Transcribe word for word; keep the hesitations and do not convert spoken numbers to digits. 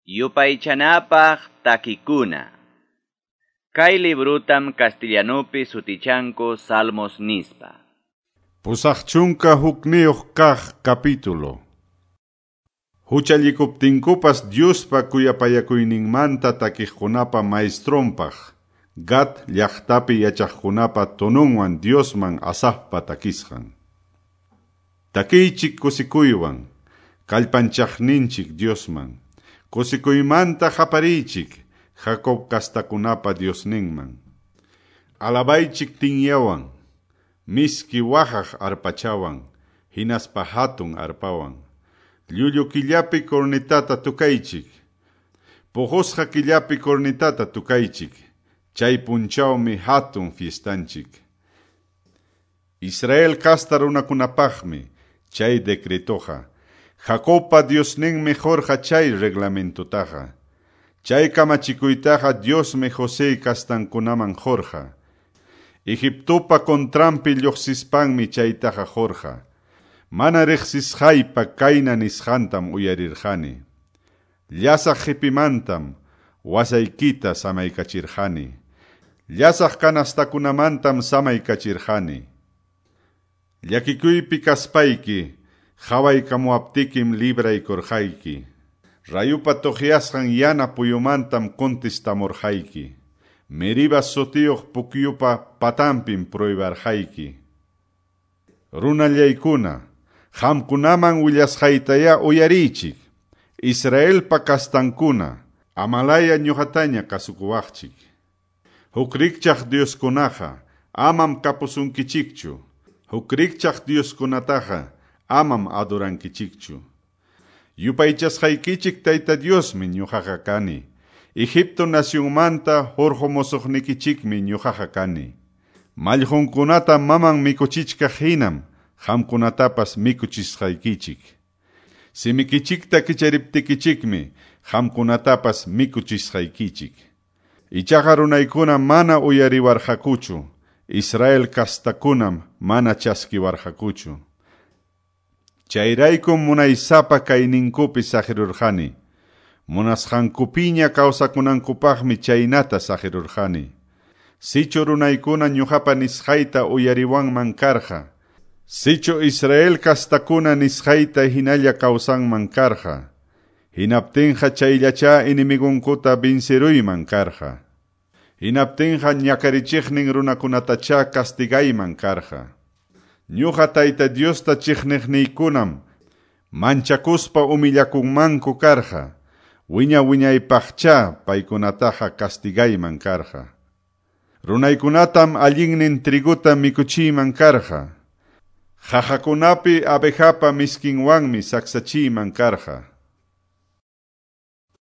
Yupaychanapaq takikuna. Kay librutam castellanupi sutichanku Salmos nispa. Pusaq chunka hukniyuq kaq capítulo. Huchallikuptinkupas Diospa kuyapayakuyninmanta takiqkunapa maestronpaq, Gat llaqtapi yachaqkunapa tonunwan Diosman Asafpa takisqan. Takiychik kusikuywan, kallpanchaqninchik Diosman. Kusikuymanta qapariychik, Jacob kastakunapa Diosninman. Alabaychik tinyawan, miski waqaq arpachawan, hinaspa hatun arpawan. Llullu killapi cornetata tukaychik, puqusqa killapi cornetata tukaychik, chay punchawmi hatun fiestanchik. Israel kasta runakunapaqmi chay decretoqa. Jacobpa Diosninmi qurqa chay reglamentotaqa. Chay kamachikuytaqa Diosmi José kastankunaman qurqa. Egiptopa contranpi lluqsispanmi chaytaqa qurqa. Mana riqsisqaypa kayna nisqantam uyarirqani. Llasaq qipimantam wasaykita samaykachirqani. Llasaq kanastakunamantam samaykachirqani. Llakikuypi kaspayki qhawaykamuwaptikim libraykurqayki. Rayupa tuqyasqan yana puyumantam contestamurqayki. Meriba sutiyuq pukyupa patanpim pruibarqayki. Runallaykuna, qamkunaman willasqaytayá uyariychik. Israelpa kastankuna, amalaya ñuqataña kasukuwaqchik. Huk rikchaq Dioskunaqa amam kapusunkichikchu. Huk rikchaq Dioskunataqa amam adorankichikchu. Yupaychasqaykichik Tayta Diosmi ñuqaqa kani. Egipto nacionmanta hurqumusuqnikichikmi ñuqaqa kani. Mallqunkunata maman mikuchichkaq hinam qamkunatapas mikuchisqaykichik. Simikichikta kichariptikichikmi qamkunatapas mikuchisqaykichik. Ichaqa runaykuna mana uyariwarqakuchu. Israel kastakunam mana chaskiwarqakuchu. Chayraykum munaysapa kayninkupi saqirurqani. Munasqankupiña kawsakunankupaqmi chaynata saqirurqani. Sichu runaykuna ñuqapa nisqayta uyariwanman karqa. Sichu Israel kastakuna nisqayta hinalla kawsanman karqa. Hinaptinqa chayllacha enemigunkuta vinciruyman karqa. Hinaptinqa ñakarichiqnin runakunatacha castigayman karqa. Ñuqa Tayta Diosta chiqniqniykunam manchakuspa humillakunmanku karqa. Wiña wiñaypaqcha paykunataqa castigayman karqa. Runaykunatam allinnin triguta mikuchiyman karqa. Qaqakunapi abejapa miskinwanmi saksachiyman karqa.